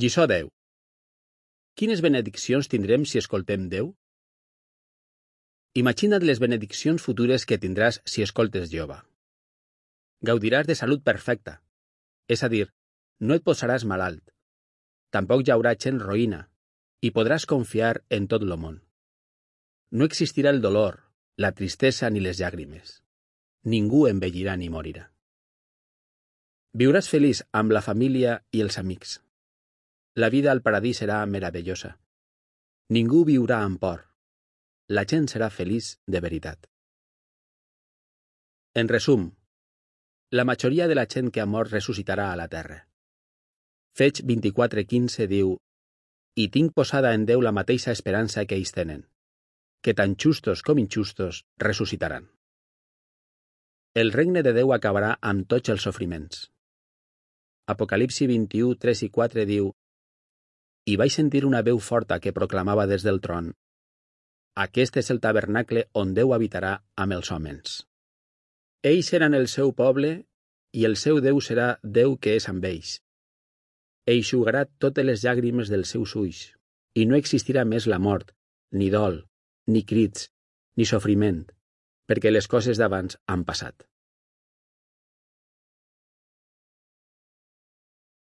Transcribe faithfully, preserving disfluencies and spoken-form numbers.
Lliçó deu. Quines benediccions tindrem si escoltem Déu? Imagina't les benediccions futures que tindràs si escoltes Jehovà. Gaudiràs de salut perfecta, és a dir, no et posaràs malalt. Tampoc hi haurà gent roïna, i podràs confiar en tot el món. No existirà el dolor, la tristesa ni les llàgrimes. Ningú envellirà ni morirà. Viuràs feliç amb la família i els amics. La vida al paradís serà meravellosa. Ningú viurà amb por. La gent serà feliç de veritat. En resum, la majoria de la gent que ha mort ressuscitarà a la terra. Fets vint-i-quatre quinze diu: «I tinc posada en Déu la mateixa esperança que ells tenen, que tant justos com injustos ressuscitaran». El regne de Déu acabarà amb tots els sofriments. Apocalipsi vint-i-u, tres i quatre diu: «I vaig sentir una veu forta que proclamava des del tron: Aquest és el tabernacle on Déu habitarà amb els homes. Ells seran el seu poble i el seu Déu serà Déu que és amb ells. Eixugarà totes les llàgrimes dels seus ulls, i no existirà més la mort, ni dol, ni crits, ni sofriment, perquè les coses d'abans han passat».